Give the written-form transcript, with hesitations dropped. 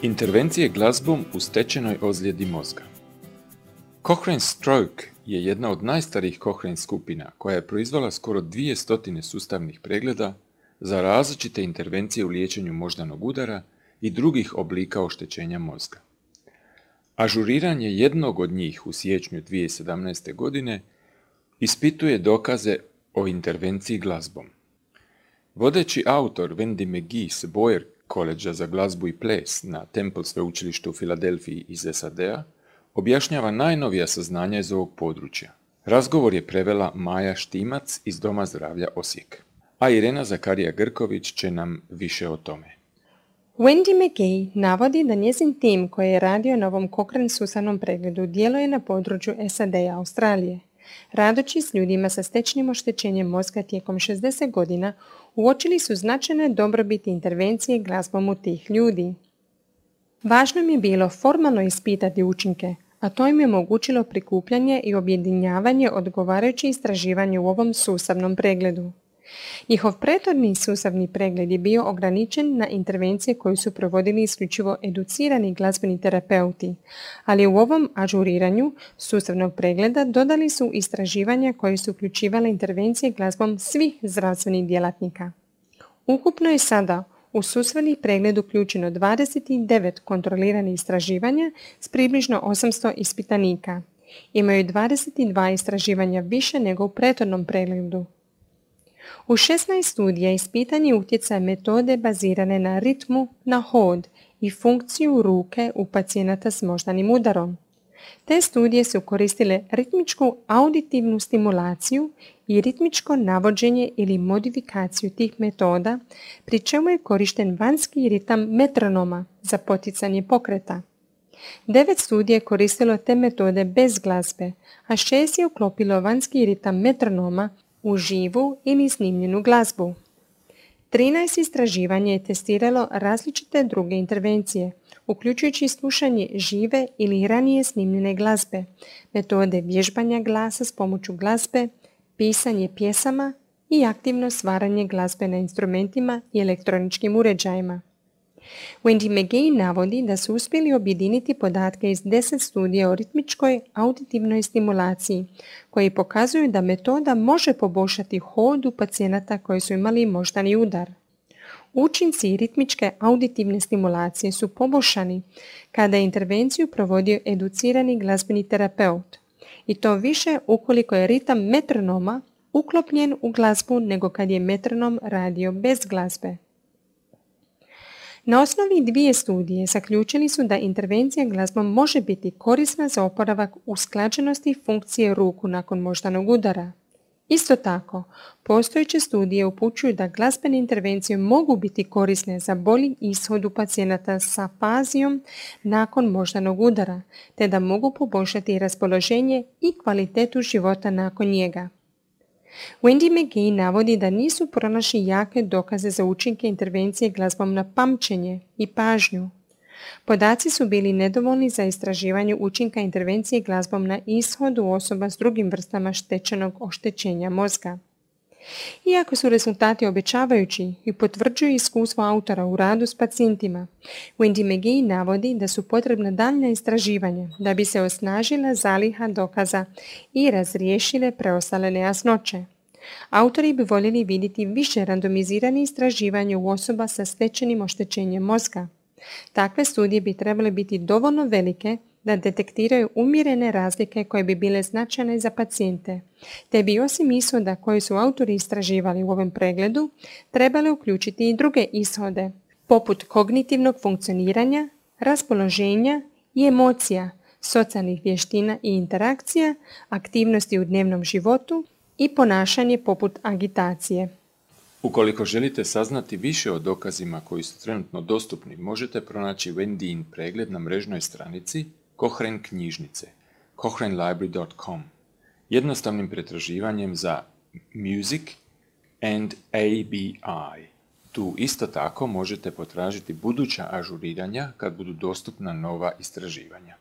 Intervencije glazbom u stečenoj ozljedi mozga. Cochrane Stroke je jedna od najstarijih Cochrane skupina koja je proizvela skoro 200 sustavnih pregleda za različite intervencije u liječenju moždanog udara i drugih oblika oštećenja mozga. Ažuriranje jednog od njih u siječnju 2017. godine ispituje dokaze o intervenciji glazbom. Vodeći autor Wendy McGee s Boyer Koledža za glazbu i ples na Temple sveučilištu u Filadelfiji iz SAD-a objašnjava najnovija saznanja iz ovog područja. Razgovor je prevela Maja Štimac iz Doma zdravlja Osijek, a Irena Zakarija-Grković će nam više o tome. Wendy McGee navodi da njezin tim koji je radio na ovom Cochrane sustavnom pregledu djeluje na području SAD-a Australije. Radeći s ljudima sa stečnim oštećenjem mozga tijekom 60 godina, uočili su značajne dobrobiti intervencije glazbom u tih ljudi. Važno im je bilo formalno ispitati učinke, a to im je omogućilo prikupljanje i objedinjavanje odgovarajućih istraživanja u ovom sustavnom pregledu. Njihov prethodni sustavni pregled je bio ograničen na intervencije koje su provodili isključivo educirani glazbeni terapeuti, ali u ovom ažuriranju sustavnog pregleda dodali su istraživanja koje su uključivale intervencije glazbom svih zdravstvenih djelatnika. Ukupno je sada u sustavni pregled uključeno 29 kontroliranih istraživanja s približno 800 ispitanika. Imaju 22 istraživanja više nego u prethodnom pregledu. U 16 studija ispitan je utjecaj metode bazirane na ritmu, na hod i funkciju ruke u pacijenata s moždanim udarom. Te studije su koristile ritmičku auditivnu stimulaciju i ritmičko navođenje ili modifikaciju tih metoda, pri čemu je korišten vanjski ritam metronoma za poticanje pokreta. 9 studija je koristilo te metode bez glazbe, a 6 je uklopilo vanjski ritam metronoma u živu ili snimljenu glazbu. 13 istraživanja je testiralo različite druge intervencije, uključujući slušanje žive ili ranije snimljene glazbe, metode vježbanja glasa s pomoću glazbe, pisanje pjesama i aktivno stvaranje glazbe na instrumentima i elektroničkim uređajima. Wendy McGee navodi da su uspjeli objediniti podatke iz 10 studija o ritmičkoj auditivnoj stimulaciji, koji pokazuju da metoda može poboljšati hod u pacijenata koji su imali moždani udar. Učinci ritmičke auditivne stimulacije su poboljšani kada je intervenciju provodio educirani glazbeni terapeut, i to više ukoliko je ritam metronoma uklopljen u glazbu nego kad je metronom radio bez glazbe. Na osnovi 2 studije zaključili su da intervencija glazbom može biti korisna za oporavak usklađenosti funkcije ruku nakon moždanog udara. Isto tako, postojeće studije upućuju da glazbene intervencije mogu biti korisne za bolji ishod u pacijenata sa afazijom nakon moždanog udara, te da mogu poboljšati raspoloženje i kvalitetu života nakon njega. Wendy McGee navodi da nisu pronašli jake dokaze za učinke intervencije glazbom na pamćenje i pažnju. Podaci su bili nedovoljni za istraživanje učinka intervencije glazbom na ishodu osoba s drugim vrstama stečenog oštećenja mozga. Iako su rezultati obećavajući i potvrđuju iskustvo autora u radu s pacijentima, Wendy McGee navodi da su potrebna daljnja istraživanja da bi se osnažila zaliha dokaza i razriješile preostale nejasnoće. Autori bi voljeli vidjeti više randomiziranih istraživanja u osoba sa stečenim oštećenjem mozga. Takve studije bi trebale biti dovoljno velike da detektiraju umjerene razlike koje bi bile značajne za pacijente, te bi osim ishoda koje su autori istraživali u ovom pregledu, trebale uključiti i druge ishode, poput kognitivnog funkcioniranja, raspoloženja i emocija, socijalnih vještina i interakcija, aktivnosti u dnevnom životu i ponašanje poput agitacije. Ukoliko želite saznati više o dokazima koji su trenutno dostupni, možete pronaći Wendy pregled na mrežnoj stranici Cochrane knjižnice, cochranelibrary.com, jednostavnim pretraživanjem za Music and ABI. Tu isto tako možete potražiti buduća ažuriranja kad budu dostupna nova istraživanja.